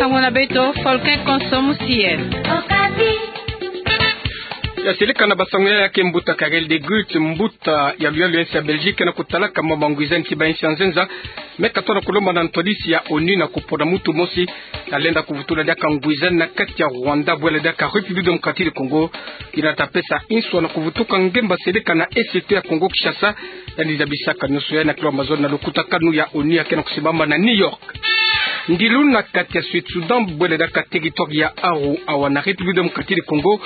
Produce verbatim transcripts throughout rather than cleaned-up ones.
Nsangu na beto, Folkin Konso Musiel. Ya seleka na basangu ya ke mbuta Karel de Gucht, mbuta ya luyalu ya nsi ya Belgique, ke na kutalaka mambu ya ngwiza nti ba nsi ya nzenza, me katona kulomba na ntwadisi ya onu na kupona mutu mosi ya lenda kuvutula diaka ngwiza na kati ya Rwanda, bwela diaka République Démocratique du Congo. Ina ta pesa nswa na kuvutuka ngemba seleka na Est ya Congo Kinshasa, yandi zabisaka nioso ya na kilo mazono na lukutakanu ya onu ya ke na kusimbama na New York. Ndilu na kati ya Sud Soudan, bwela diaka territoire ya Aru, awa na République Démocratique du Congo,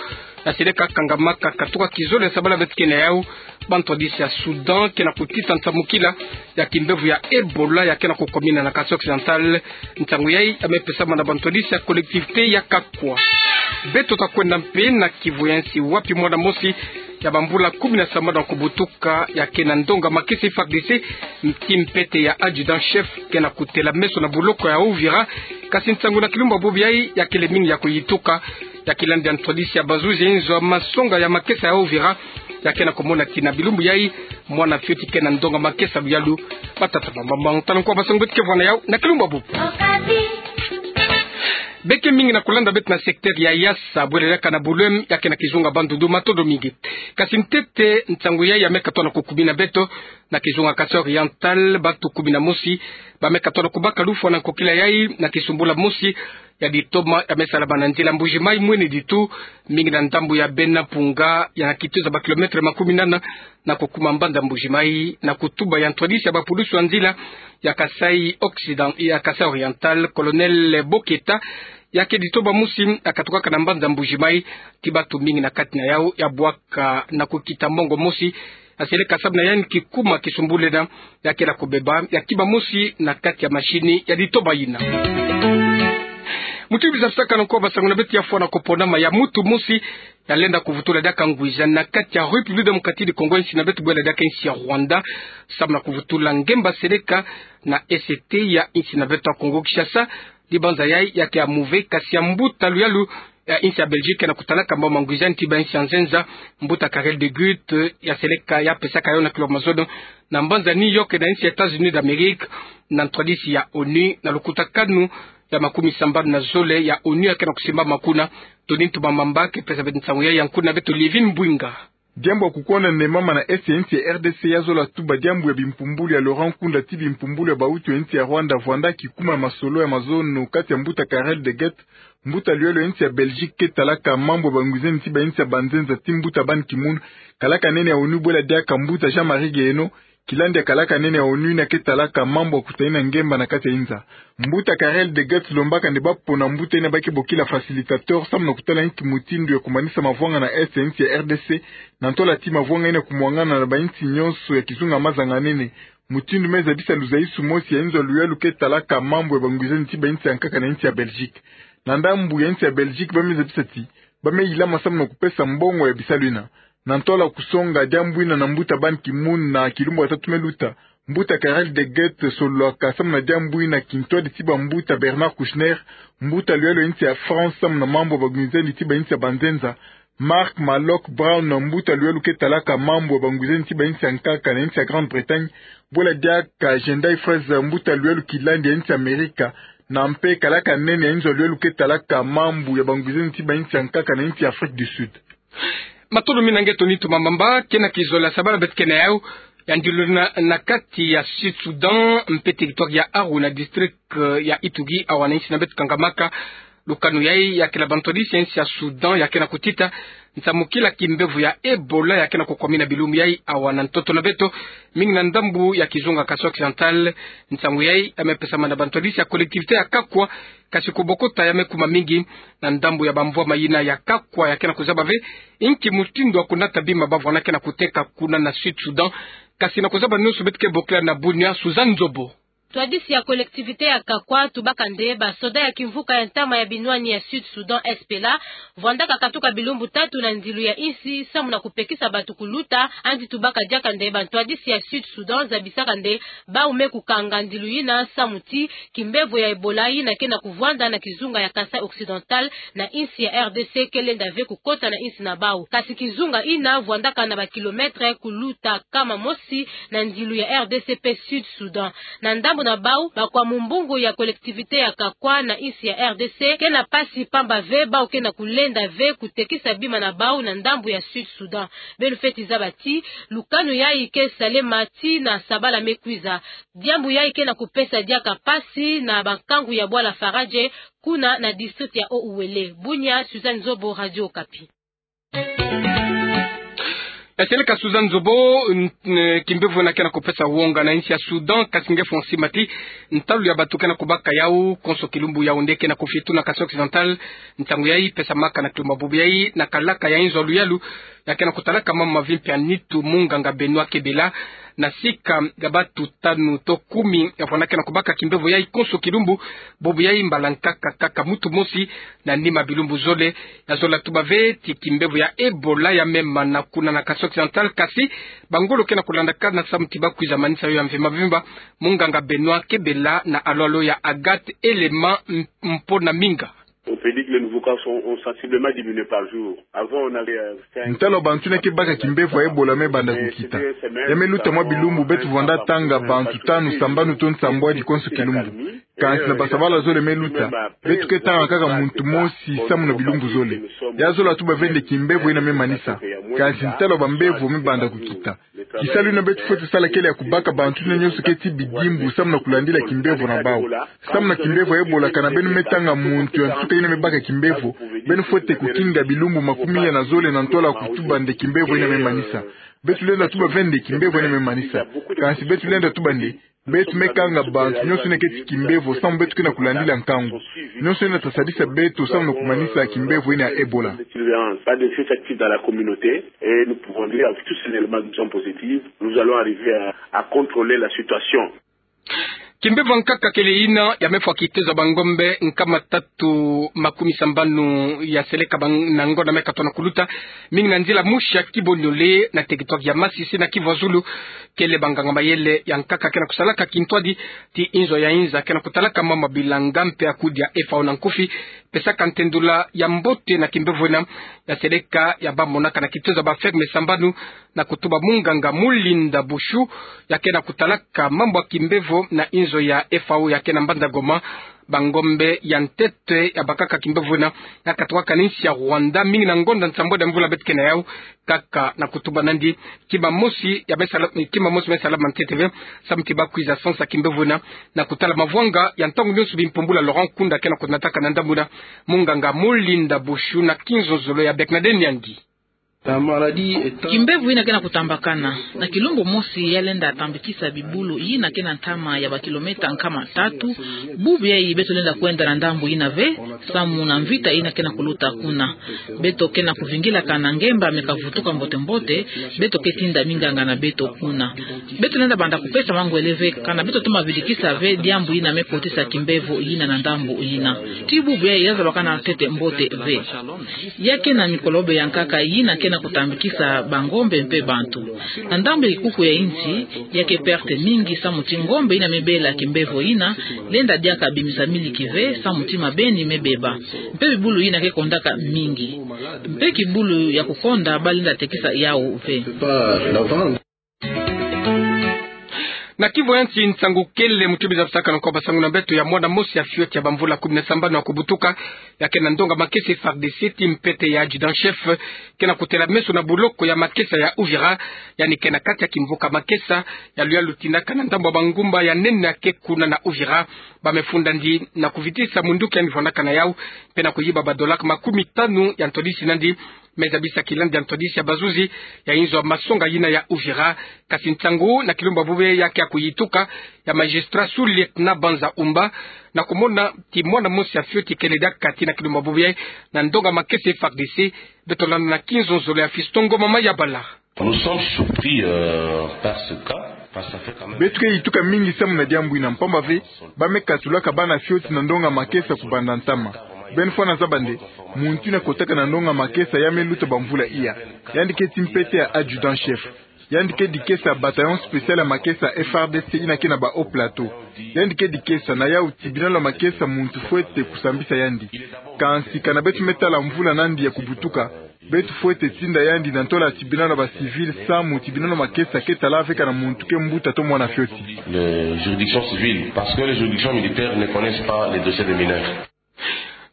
ya seleka kangamaka katuka kizole ya sabala beto ke na yau, ba ntwadisi ya Soudan ke na kutita nsamukila ya kimbevo ya Ebola ya ke na kukomina na Kasaï Occidental. Nsangu yai ya me pesama na ba ntwadisi ya collectivité ya Kakwa. Beto ta kwenda mpe na kivu ya nsi wapi mwana mosi ya bambula kumi na sambanu ya kubutuka ya ke na ndonga makesa F A R D C, nti mpete ya adjudant-chef, ke na kutela meso na buloko ya Uvira. Kasi nsangu na kilumbu bubu yai ya kele mingi ya kuyituka, ya kilandi ya ntwadisi ya bazuzi ya inzo ya masonga ya makesa ya Uvira, ya ke na kumona ti na bilumbu yai mwana fioti ke na ndonga makesa luyalu. Batata, bamama, tala nkwa basangu beto ke vwa na yau na kilumbu bubu. Beke mingi na kulanda beto na secteur ya Yassa, bwela diaka na Bouloum, ya ke na kizunga Bandundu. Matondo mingi. Kasi ntete nsangu yai ya me katona kukumina beto na kizunga Kasaï Oriental, bantu kumi na mosi ba me katona kubaka lufwa na nkokila yai na kisumbula mosi ya ditoma ya me salama na nzila Mbuji-Mayi mwene ditu, mingi na ndambu ya Bena Mpunga, ya na kituza ba kilomètre makumi nana na kukuma mbanza Mbuji-Mayi, na kutuba ya ntwadisi ya bapulusu ya nzila ya Kasaï Occident, ya Kasaï Oriental, Colonel Boketa, ya ke ditoma mosi ya katukaka na mbanza Mbuji-Mayi, ti bantu mingi na kati na yau ya bwaka na kukita mongo mosi, ya seleka samu na yandi kikuma kisumbulena, ya ke na kubeba ya kima mosi na kati ya machine ya ditoma yina. Mutindu zabisaka na nkwa basangu na beto, ya fwa na kuponama ya mutu mosi ya lenda kuvutula diaka ngwiza na kati ya République Démocratique du Congo, nsi na beto bwela diaka nsi ya Rwanda, samu na kuvutula ngemba seleka na Est ya nsi na beto ya Congo Kinshasa. Dibanza yai ya ke ya muve, kasi ya mbuta luyalu ya nsi ya Belgique na kutalaka mambu ya ngwiza nti ba nsi ya nzenza, mbuta Karel de Gucht, ya seleka ya pesaka yo na kilo mazono na mbanza New York na nsi ya États-Unis d'Amérique, na ntwadisi ya onu na lukutakanu ya makumi sambanu na zole ya onu ya ke na kusimbama kuna. Tony Ntumamamba ke pesa beto nsangu yai ya nkuna beto Livin Bwinga. Diambu ya kukonda nde mama na Est ya nsi ya R D C ya zola tuba diambu ya bimpumbulu ya Laurent Nkunda ti bimpumbulu ya bahutu ya nsi ya Rwanda, vwanda kikuma masolo ya mazono kati ya mbuta Karel de Gucht, mbuta luyalu ya nsi ya Belgique ke talaka mambu ya bangwiza nti ba nsi ya banzenza, ti mbuta Ban Ki-moon, kalaka nene ya onu, bwela diaka mbuta Jean-Marie Guéhenno, kilandi ya kalaka nene ya onu yina ke talaka mambu ya kuta yina ngemba na kati ya inza. Mbuta Karel de Gucht lombaka nde ba pona mbuta yina ba ke bokila facilitateur samu na kutala inki mutindu ya kumanisa mavwanga na Est ya nsi ya R D C, na ntola ti mavwanga yina kumwangana na bansi nyonso ya kizunga mazanganene. Mutindu me zabisa luzaisu mosi ya inzo ya luyalu ke talaka mambu ya bangwiza nti ba nsi ya nkaka na nsi ya Belgique. Na ndambu ya nsi ya Belgique ba me zabisa ti ba me yilama samu na kupesa mbongo ya bisalu yina. Na ntola kusonga diambu yina na mbuta Ban Ki-moon na kilumbu ya tatu me luta, mbuta Karel de Gucht sololaka samu na diambu yina kintwadi ti bambuta Bernard Kouchner, mbuta luyalu ya nsi ya France samu na mambu ya bangwiza nti ba nsi ya banzenza, Marc Malloch Brown, mbuta luyalu ke talaka mambu ya bangwiza nti ba nsi ya nkaka na nsi ya Grande-Bretagne, bwela diaka Gendai Fraser, mbuta luyalu kilandi ya nsi ya Amerika, na mpe kalaka nene ya inzo ya luyalu ke talaka mambu ya bangwiza nti ba nsi ya nkaka na nsi ya Afrique du Sud. Matondo mingi na nge Tony Ntumamamba. Ke na kizole ya sabala beto ke na yau, ya ndilu na, na kati ya Sud Soudan, mpe territoire ya Aru na district, eh, ya Ituri, awa na nsi na beto kangamaka. Lukanu yai ya kila bantwadisi ya nsi ya Soudan ya ke na kutita nsamukila kimbevo ya Ebola ya ke na kukwamina bilumbu yai awa na ntoto na beto, mingi na ndambu ya kizunga Kasaï Occidental. Nsangu yai ya me pesama na bantwadisi ya collectivité ya Kakwa, kasi kubokota ya me kuma mingi na ndambu ya bamvwama yina ya Kakwa ya ke na kuzaba ve inki mutindu ya kunata bima bavwanda ke na kuteka kuna na Sud Soudan. Kasi na kuzaba nyonso beto ke bokila na Bunia, Suzanne Nzobo. Ntwadisi ya collectivité ya Kakwa atubaka nde basoda ya kimvuka ya ntama ya binwani ya Sud Soudan, S P L A, vwandaka katuka bilumbu tatu na ndilu ya insi samu na kupekisa bato kuluta. Yandi tubaka diaka nde bantwadisi ya Sud Soudan zabisaka nde bau me kukanga ndilu yina samu ti kimbevo ya Ebola yina ke na kuvwanda na kizunga ya Kasaï Occidental na insi ya R D C ke lenda ve kukota na insi na bau. Kasi kizunga yina vwandaka na ba kilomètre kuluta kama mosi na ndilu ya R D C mpe Sud Soudan. Na ndambu na bau bakwa mumbungu ya collectivité ya Kakwa na insi ya R D C ke na mpasi, pamba ve bau ke na kulenda ve kutekisa bima na bau na ndambu ya Sud Soudan. Beno fweti zaba ti lukanu yayi ke salema tii na sabala me kwiza. Diambu yayi ke na kupesa diaka mpasi na bankangu ya bwala Faradje kuna na district ya Haut-Uélé. Bunia, Suzanne Zobo, Radio Okapi. Esele ka Suzanne Zobo. N-, n-, kimbevo ena ke na kupesa wonga na insi ya Soudan, kasi nge fonsi mati, ntalu ya bato ke na kubaka yau konso kilumbu Yaoundé ke na kufituna Kasaï Occidental. Ntangu yayi pesamaka na kilumbu bubu yayi na kalaka ya inzo luyalu ya ke na kutalaka mambu ma vie mpe ya nitu, munganga Benoît Kebela, na sika ya bato tanu to kumi ya vwanda ke na kubaka kimbevo yayi konso kilumbu. Bubu yayi mbala nkaka kaka muntu mosi na nima bilumbu zole. Ya zola tuba ve ti kimbevo ya Ebola ya mema na kuna na Kasaï Occidental, kasi bangolo ke na kulandakana samu ti ba kwiza manisa yo ya mvimba mvimba. Munganga Benoît Kebela na alolo ya Agathe Elema M-, Mponaminga. On peut dire que les nouveaux cas sont, ont sensiblement diminué par jour. Avant, on avait, euh, cinq, Ntalo bantu ina ke baka kimbevo ya Ebola me banda kukita. Ya me luta mwa bilumbu beto vwanda tanga bantu tanu, sambanu to nsambwadi konso kilumbu. Kansi na basabala zole me luta, beto ke tanga kaka muntu mosi samu na bilumbu zole. Ya zola tuba ve nde kimbevo ina me manisa. Kansi ntalo bambevo me banda kukita. Kisalu ina beto fwete sala kele ya kubaka bantu ina nyonso ke ti bidimbu samu na kulandila kimbevo na bau. Samu na kimbevo ya Ebola, kana beno me tanga muntu ya nsuka ina me baka kimbevo, beno fwete kukinga bilumbu makumi ya na zole na ntwala kutuba nde kimbevo ina me manisa. Beto lenda tuba ve nde kimbevo ina me manisa. Kansi beto lenda tuba nde beto me kanga bantu nyonso ina ke ti kimbevo samu beto ke na kulandila nkangu. Nyonso ina ta sadisa beto samu na kumanisa kimbevo ina ya Ebola. Surveillance, pas de surveillance active dans la communauté, et nous pouvons dire avec tous ces éléments qui sont positifs, nous allons arriver à, à contrôler la situation. Kimbevo nkaka kele ina ya me fwa kitezo ya bangombe nkama tatu makumi sambanu ya seleka bang-, na ngonda me katwa na kuluta, mingi na nzila musi ya Kibonyole na territoire ya Masisi na Kivu ya Zulu. Kele banganga mayele ya nkaka ke na kusalaka kintwadi ti inzo ya inza ke na kutalaka mambu ma bilanga mpe ya kudi ya F A O na nkufi, pesaka ntendula ya mbote na kimbevo ina ya seleka ya ba monaka na kitezo ya ba ferme sambanu, na kutuba munganga Mulinda Bushu, ya ke na kutalaka mambu ya kimbevo na inzo ya F A O ya ke na Mbanza Goma. Bangombe ya ntete ya bakaka kimbevo ina ya katukaka na insi ya Rwanda, mingi na ngonda nsambwadi ya mvula beto ke na yau, kaka na kutuba nandi kima mosi ya me sala, kima mosi me salama ntete ve samu ti ba kwiza sansa kimbevo ina. Na kutala mavwanga ya ntangu nyonso, bimpumbula Laurent Nkunda ke na kunataka na ndambu ina munganga Mulinda Bushu na kinzonzolo ya Bernadette Nyangi. Kimbevo ina ke na kutambakana. Na kilumbu mosi ya lenda tambikisa bibulu ina ke na ntama ya ba kilomètre nkama tatu. Bubu yayi beto lenda kwenda na ndambu ina ve, samu na mvita ina ke na kuluta kuna. Beto ke na kuvingilaka na ngemba me kavutuka mbote mbote, beto ke tinda minganga na beto kuna. Beto lenda banda kupesa mangwele ve, kana beto toma vidikisa ve diambu ina me kotisa kimbevo ina na ndambu ina. Ti bubu yayi ya zabakana ntete mbote ve. Ya ke na mikolobe ya nkaka ina ke na kutambikisa bangombe mpe bantu. Na ndambu ya kikuku ya insi, ya ke perte mingi samu ti ngombe ina me bela kimbevo ina, lenda diaka bimisa miliki ve samu ti mabeni me beba. Mpe bibulu ina ke kondaka mingi. Mpe kibulu ya kukonda ba lenda tekisa yau ve. Na Kivu ya Nsi, nsangu kele mutu biza bisaka na nkoba sangu na beto ya mwana mosi ya fioti ya bamvula kumi na sambanu ya kubutuka, ya ke na ndonga makesa F A R D C ti mpete ya adjudant-chef, ke na kutela meso na boloko ya makesa ya Uvira, yandi ke na kati ya kimvuka makesa ya luyalu tindaka na ndambu ya bangumba ya nene ya ke kuna na Uvira. Ba me funda ndi na kuvitisa munduki yandi vwandaka na yau, mpe na kuyiba ba dollars makumi tanu ya ntwadisi nandi. Me zabisa kilandi ya ntwadisi ya bazuzi ya inzo ya masonga yina ya Uvira. Kasi nsangu na kilumbu bubu yayi ya ke ya kuyituka ya magistrat sous-lieutenant Banza Umba, na kumona ti mwana mosi ya fioti kele diaka kati na kilumbu bubu yayi na ndonga makesa F A R D C. Beto landa na kinzonzolo ya Fiston Ngoma Mayabala. Nous sommes surpris, euh, par ce cas, parce que ça fait quand même... Beto ke yituka mingi samu na diambu ina, mpamba ve ba me katulaka bana fioti na ndonga makesa kubanda ntama. Beno fwana zaba nde muntu ina kotaka na ndonga makesa ya me luta bamvula iya. Yandi ke ti mpete ya adjudant-chef. Yandi ke dikesa bataillon spécial ya makesa F A R D C ina ke na ba Haut-Plateau. Yandi ke dikesa, na yau tibinalo ya makesa muntu fwete kusambisa yandi. Kansi kana beto me tala mvula nandi ya kubutuka, beto fwete tinda yandi na ntola tibinalo ya ba civil samu tibinalo ya makesa ke tala ve kana muntu ke mbuta to mwana fioti. Les juridictions civiles, parce que les juridictions militaires ne connaissent pas les dossiers des mineurs.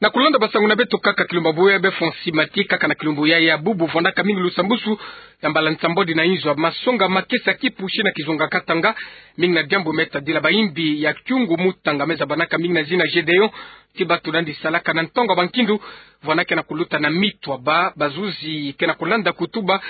Na kulanda basangu na beto kaka kilumbu ya bubu, Befonsi Mati, kaka na kilumbu ya bubu vwandaka mingi lusambusu ya mbala nsambwadi na inzo, masonga makesa kipushi na kizunga Katanga, mingi na diambu me tadila bayimbi ya kiungu mutanga me zabanaka mingi na zina Gédéon, ti bato nandi salaka na ntangu ya bankindu, vwandaka na kuluta na mitwaba, bazuzi ke na kulanda kutuba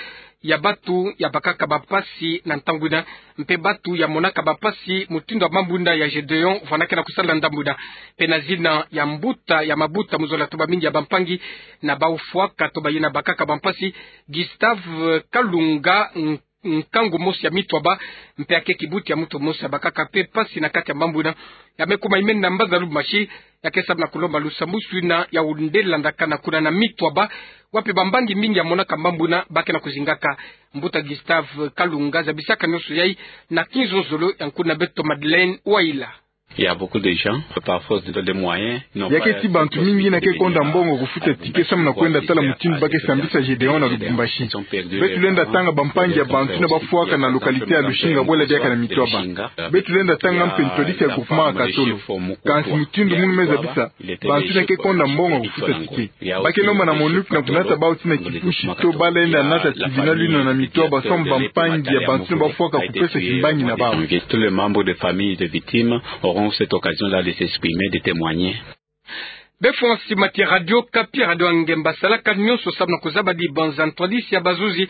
ya bato ya bakaka bampasi na ntangu ina, mpe bato ya monaka bampasi mutindu ya mambu ina ya Gédéon vwandaka na kusala ndambu ina. Mpe na zina ya mbuta ya mabuta mu zola tuba mingi ya bampangi na bau fwaka to bayina bakaka bampasi, Gustave Kalunga, n-, nkangu mosi ya mitwaba, mpe ya ke kibuti ya muntu mosi ya bakaka mpe mpasi na kati ya mambu ina, ya me kuma imeni na mbanza Lubumbashi, ya ke sabana kulomba lusambusu ina ya wundela ndakana kuna na mitwaba, wapi bambangi mingi ya monaka mambu ina ba ke na kuzingaka. Mbuta Gustave Kalunga zabisaka nionso yai na kinzonzolo ya nkuna beto Madeleine Waila. Il y a beaucoup de gens, parfois, ils ont des moyens, ils n'ont pas. Ya ke ti bantu mingi ina ke konda mbongo kufuta ticket samu na kwenda tala mutindu ba ke sambisa Gédéon na Lubumbashi. Beto lenda tanga bampangi ya bantu ina ba fwaka na localité ya Lusinga bwela diaka na mitwaba. Beto lenda tanga mpe ntwadisi ya groupement ya Katolo. Kansi mutindu munu me zabisa, bantu ina ke konda mbongo kufuta ticket. Ba ke lomba na MONUC na kunata bau tina kipushi to ba lenda nata tibinalo ina na mitwaba samu bampangi ya bantu ina ba fwaka kupesa kimbangi na bau. Tous les membres de famille des victimes auront cette occasion-là de s'exprimer, de témoigner. Befonsi Mati, Radio Okapi, Radio Angemba, salaka nionso samu na kuzabadi banza ntwadisi ya bazuzi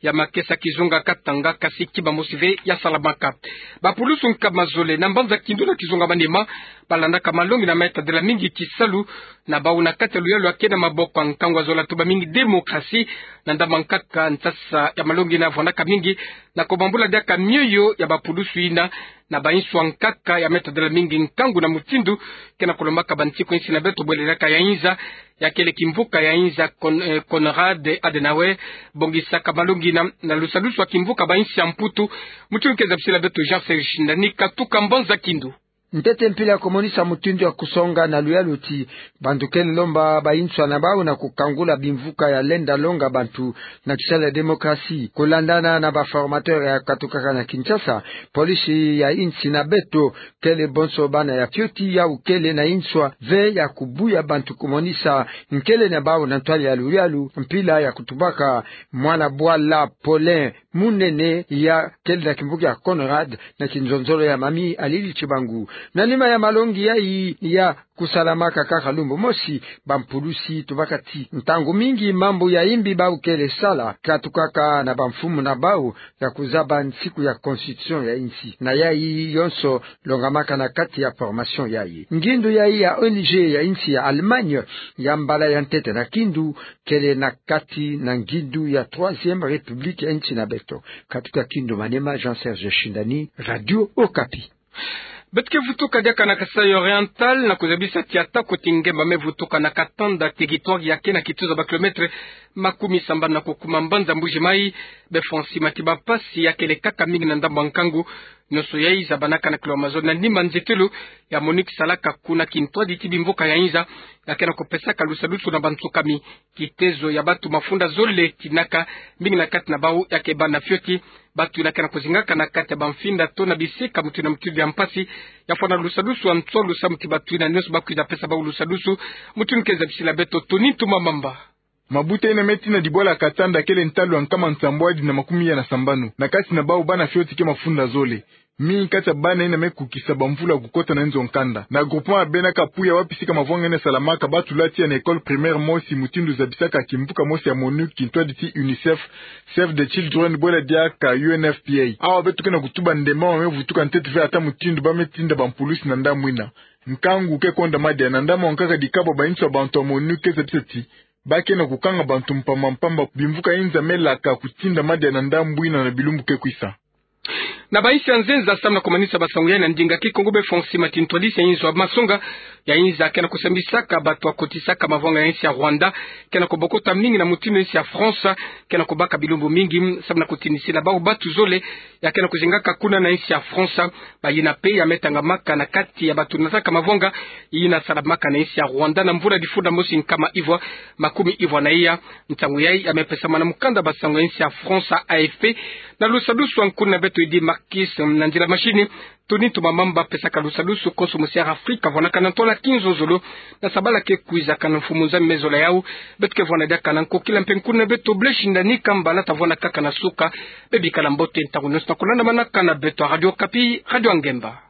ya makesa kizunga Katanga, kasi kima mosi ve ya salamaka. Bapulusu nkama zole na mbanza Kindu na kizunga Maniema, ba landaka malongi ina me tadila mingi kisalu na bau na kati ya luyalu ya ke na maboko ya nkangu ya zola tuba mingi démocratie, na ndambu ya nkaka nsasa ya malongi ina vwandaka mingi na kubambula diaka mioyo ya bapulusu ina, na banswa nkaka ya me tadila mingi nkangu na mutindu ke na kulombaka bansiku insi na beto bwele diaka ya inza, ya kele kimvuka ya inza Con-, eh, Konrad Adenauer, bongisaka malongi ina na lusadusu ya kimvuka bansi ya Mputu. Mutindu ke zabisila beto Jean Serge Shindani katuka mbanza Kindu. Ntete mpila ya kumonisa mutindu ya kusonga na luyalu ti bantu kele lomba banswa na bau na kukangula bimvuka ya lenda longa bantu na kisalu ya démocratie. Kulandana na ba formateur ya katukaka na Kinshasa, polisi ya insi na beto kele bonso bana ya fioti yau kele na nswa ve ya kubuya bantu kumonisa nkele na bau na ntwala ya luyalu, mpila ya kutubaka mwana bwala Paulin Munene ya kele na kimvuka ya Konrad na kinzonzolo ya Mamie Alili Tshibangu. Na nima ya malongi yai ya kusalamaka kaka lumbu mosi, bampulusi tubaka ti ntangu mingi mambu ya imbi bau kele sala katukaka na bamfumu na bau ya kuzaba nsiku ya constitution ya insi. Na yai yonso longamaka na kati ya formation yai. Ngindu yai ya O N G ya insi ya Allemagne, ya mbala ya ntete na Kindu, kele na kati na ngindu ya Troisième République ya insi na beto. Katuka Kindu Maniema, Jean Serge Shindani, Radio Okapi. Beto ke vutuka diaka na Kasaï Oriental na kuzabisa ti atako ti ngemba me vutuka na Katanda, territoire ya ke na kituza ba kilomètre makumi sambanu na kukuma mbanza Mbuji Mayi. Befonsi Mati, bampasi ya kele kaka mingi na ndambu ya nkangu. Nionso yai zabanaka na kilomètre mazono na nima nzetelo ya MONUC salaka kuna kintwadi ti bimvuka ya inza, ya ke na kupesaka lusadusu na bansukami. Kitezo ya bato mafunda zole tinaka, mingi na kati na bau ya ke bana fioti. Bato ina ke na kuzingaka na kati ya bamfinda to na bisika mutindu na mutindu ya mpasi. Ya fwana lusadusu ya nsolo samu ti bato ina nionso ba kwiza pesa bau lusadusu. Mutindu ke zabisila beto Tony Ntuma Mamba. Mabuta ina me tina dibwala Katanda kele ntalu ya nkama nsambwadi na makumi ya na sambanu. Na kati na bau bana fioti ke mafunda zole. Mingi kati ya bana ina me kukisa bamvula kukota na nzo ya nkanda. Na groupement ya Bena Kapuya, wapi sika mavwanga ina salamaka, ba tula tiya na école primaire mosi mutindu zabisaka kimvuka mosi ya MONUC, kintwadi ti UNICEF, Save the Children, bwela diaka U N F P A. Awa beto ke na kutuba ndemba ma me vutuka ntete ve ata mutindu ba me tinda bampulusi na ndambu ina. Nkangu ke konda madia na ndambu ya nkaka dikabwa banswa bantu ya MONUC ke zabisa ti ba ke na kukanga bantu mpamba mpamba. Bimvuka inza me laka kutinda madia na ndambu ina na bilumbu ke kwisa. Na bainsi ya nzenza, samu na kumanisa basango yai na ndinga Kikongo, be Fonsi Matintwali, se inzo ya masonga ya inza ke na kusambisaka bato ya kotisaka mavwanga ya insi ya Rwanda ke na kubokota mingi na motinu insi ya France ke na kubaka bilumbu mingi, samu na kutinisila bawu bato zole ya ke na kuzingaka kuna na insi ya France. Bayina mpe ya me tangamaka na kati ya bato nataka mavwanga yina salamaka na insi ya Rwanda na mvula difunda mosi nkama ivwa makumi ivwa na iya. Nsangu yai ya me pesama na mukanda basango ya insi ya France, A F P, na lusadusu ya nkuna beto Eddy Marcus, na nzila machine Tony Tumamamba, pesaka lusadusu konso mosiara Afrika vwanakana ntwala kinzonzolo na sabala ke kwizakana. Mfumu Nzambi me zola yawu. Beto ke vwanda diaka na nkokila mpe nkuna beto Blaise Shindani Kambala, ta vwanda kaka na suka. Bebikala mbote ntangu nyonso na kulandamanaka na beto ya Radio Okapi, Radio ya Ngemba.